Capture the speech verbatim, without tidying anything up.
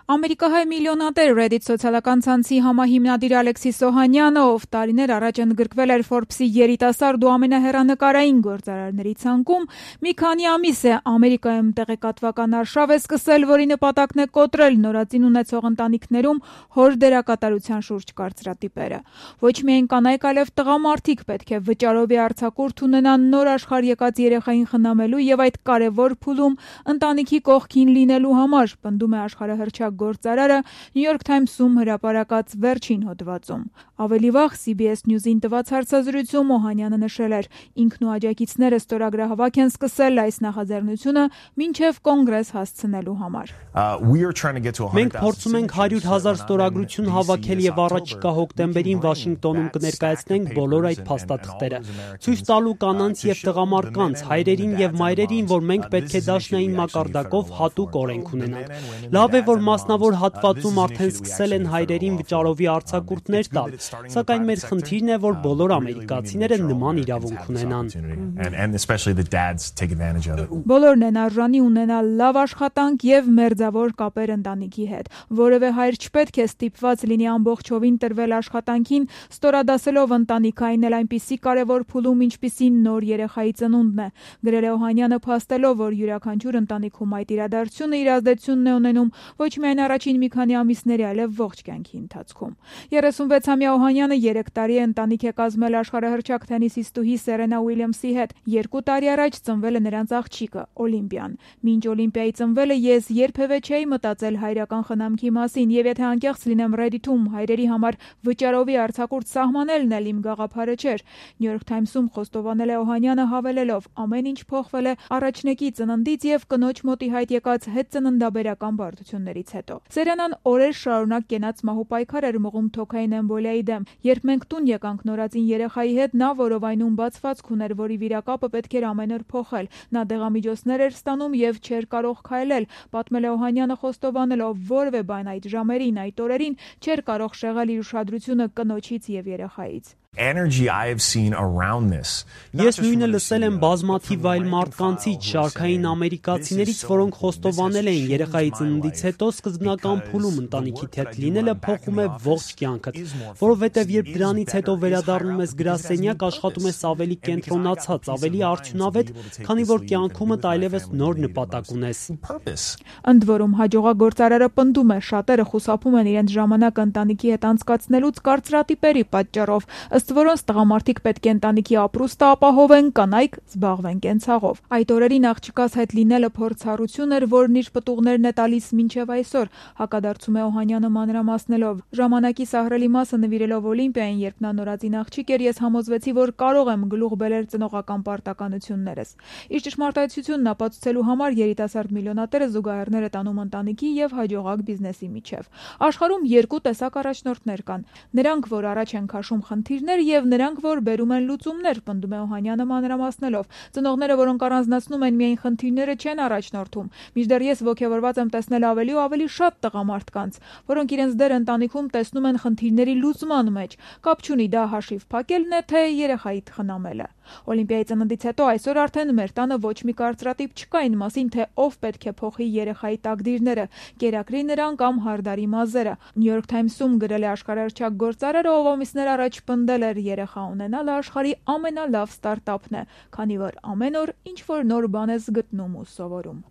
Ամերիկահայ միլիոնատեր Reddit սոցիալական ցանցի համահիմնադիր Ալեքսիս Օհանյանը, ով տարիներ առաջ ընդգրկվել էր Forbes-ի երիտասարդ ու ամենահեռանկարային գործարարների ցանկում, մի քանի ամիս է Ամերիկայում տեղեկատվական արշավ է սկսել, որի նպատակն է կոտրել նորածին ունեցող ընտանիքներում հոր դերակատարության շուրջ կարծրատիպերը։ Ոչ միայն կանայք, այլև տղամարդիկ պետք է վճարովի արձակուրդ ունենան նոր աշխարհ եկած երեխային խնամելու եւ այդ կարևոր փուլում ընտանիքի կողքին լինելու համար, պնդում է աշխարհահռչակ գործարարը New York Times-ում հրապարակած վերջին հոդվածում։ Ավելի վաղ C B S News-ին տված հարցազրույցում Օհանյանը նշել էր, ինքն ու աջակիցները ստորագրահավաք են սկսել այս նախաձեռնությունը մինչև կոնգրես հասցնելու համար։ Մենք փորձում ենք հարյուր հազար ստորագրություն հավաքել եւ առաջիկա հոկտեմբերին Վաշինգտոնում կներկայացնենք բոլոր այդ փաստաթղթերը, ցույց տալու կանանց եւ տղամարդկանց, հայրերին եւ մայրերին, որ մենք պետք է դաշնային մակարդակով հատուկ օրենք ունենանք։ Լավ է, որ մասնավոր հատվածում արդեն սկսել են հայրերին վճարովի արձակուրդներ տալ, սակայն մեր խնդիրն է, որ բոլոր ամերիկացիները նման իրավունք ունենան։ Բոլորն են արժանի ունենալ լավ աշխատանք եւ մերձավոր կապեր ընտանիքի հետ։ Որևէ հայր չպետք է ստիպված լինի ամբողջովին տրվել աշխատանքին, ստորադասելով ընտանիքային էլ այնպիսի կարևոր փուլում, ինչպիսին նոր երեխայի ծնունդն է։ Գրել է Օհանյանը, փաստելով, որ յուրաքանչյուր ընտանիքում այդ իրադարձությունը իր ազդեցությունն է ունենում ոչ միայն առաջին մի քանի ամիսների, այլև ողջ կյանքի ընթացքում։ երեսունվեցամյա Օհանյանը երեք տարի է ընտանիք է կազմել աշխարհահռչակ թենիսիստուհի Սերենա Ուիլյամսի հետ։ Երկու տարի առաջ ծնվել է նրանց աղջիկը՝ Օլիմպիան։ Մինչ Օլիմպիայի ծնվելը ես երբևէ չէի մտածել հայրական խնամքի մասին, եւ եթե անկեղծ լինեմ, Reddit-ում հայրերի համար վճարովի արձակուրդ սահմանելն էլ իմ գաղափարը չէր։ New York Times-ում խոստովանել է Օհանյանը, հավելելով. ամեն ինչ փոխվել է առաջնեկի ծննդից եւ կնոջ մոտ ի հայտ եկած հետծննդաբերական բարդություններից հետո։ Սերենան օրեր շարունակ կենաց մահու պայքար էր մղում թոքային էմբոլիայի դեմ։ Երբ մենք տուն եկանք նորածին երեխայի հետ, նա որովայնում բացվածք ուներ, որի վիրակապը պետք էր ամեն օր փոխել։ Նա դեղամիջոցներ էր ստանում եւ չէր կարող քայլել, պատմել է Օհանյանը, խոստովանելով, որևէ բան այդ ժամերին, այդ օրերին չէր կարող շեղել իր ուշադրությունը կնոջից եւ երեխայից։ Ես նույնը լսել եմ բազմաթիվ այլ մարդկանցից, շարքային ամերիկացիներից, որոնք խոստովանել էին երեխայի ծննդից հետո սկզբնական փուլում ընտանիքի հետ լինելը փոխում է ողջ կյանքդ, որովհետև երբ դրանից հետո վերադառնում ես գրասենյակ, աշխատում ես ավելի կենտրոնացած, ավելի արդյունավետ, քանի որ կյանքումդ այլևս նոր նպատակ ունես։ Ընդ որում հաջողագործարարը պնդում է, շատերը խուսափում են իրենց ժամանակը ընտանիքի հետ անցկացնելուց կարծրատիպերի պատճառով, ըստ որոնց տղամարդիկ պետք է ընտանիքի ապրուստը ապահովեն, կանայք զբաղվեն կենցաղով։ Այդ օրերին աղջկաս հետ լինելը փորձառություն էր, որն իր պտուղներն է տալիս մինչև այսօր, հակադարձում է Օհանյանը մանրամասնելով։ Ժամանակի սահրելի մասը նվիրելով Օլիմպիային, երբ նա նորածին աղջիկ էր, ես համոզվեցի, որ կարող եմ գլուխ բերել ծնողական պարտականություններս։ Իր ճշմարտացիությունն ապացուցելու համար երիտասարդ միլիոնատերը զուգահեռներ է տանում ընտանիքի եւ հաջողակ բիզնեսի միջև։ Աշխարհում երկու տեսակ առաջնորդներ կան։ Նրանք, որ առաջ են քաշում խնդիրներ, եւ նրանք, որ բերում են լուծումներ, պնդում է Օհանյանը մանրամասնելով։ Ծնողները, որոնք առանձնացնում են միայն խնդիրները, չեն առաջնորդում։ Մինչդեռ ես ոգևորված եմ տեսնել ավելի ու ավելի շատ տղամարդկանց, որոնք իրենց դեր ընտանիքում տեսնում են խնդիրների լուծման մեջ։ Կապ չունի դա հաշիվ փակելն է, թե երեխայի խնամելը։ Օլիմպիայի ծննդից հետո այսօր արդեն մեր տանը ոչ մի կարծրատիպ չկա այն մասին, թե ով պետք է փոխի երեխայի տակդիրները, կերակրի նրան կամ հարդարի մազերը։ New York Times-ում գրել է աշխարհահռչակ գործարարը, ով ամիսներ առաջ պնդել էր երեխա ունենալը աշխարհի ամենալավ ստարտափն է, քանի որ ամեն օր ինչ որ նոր բան ես գտնում ու սովորում։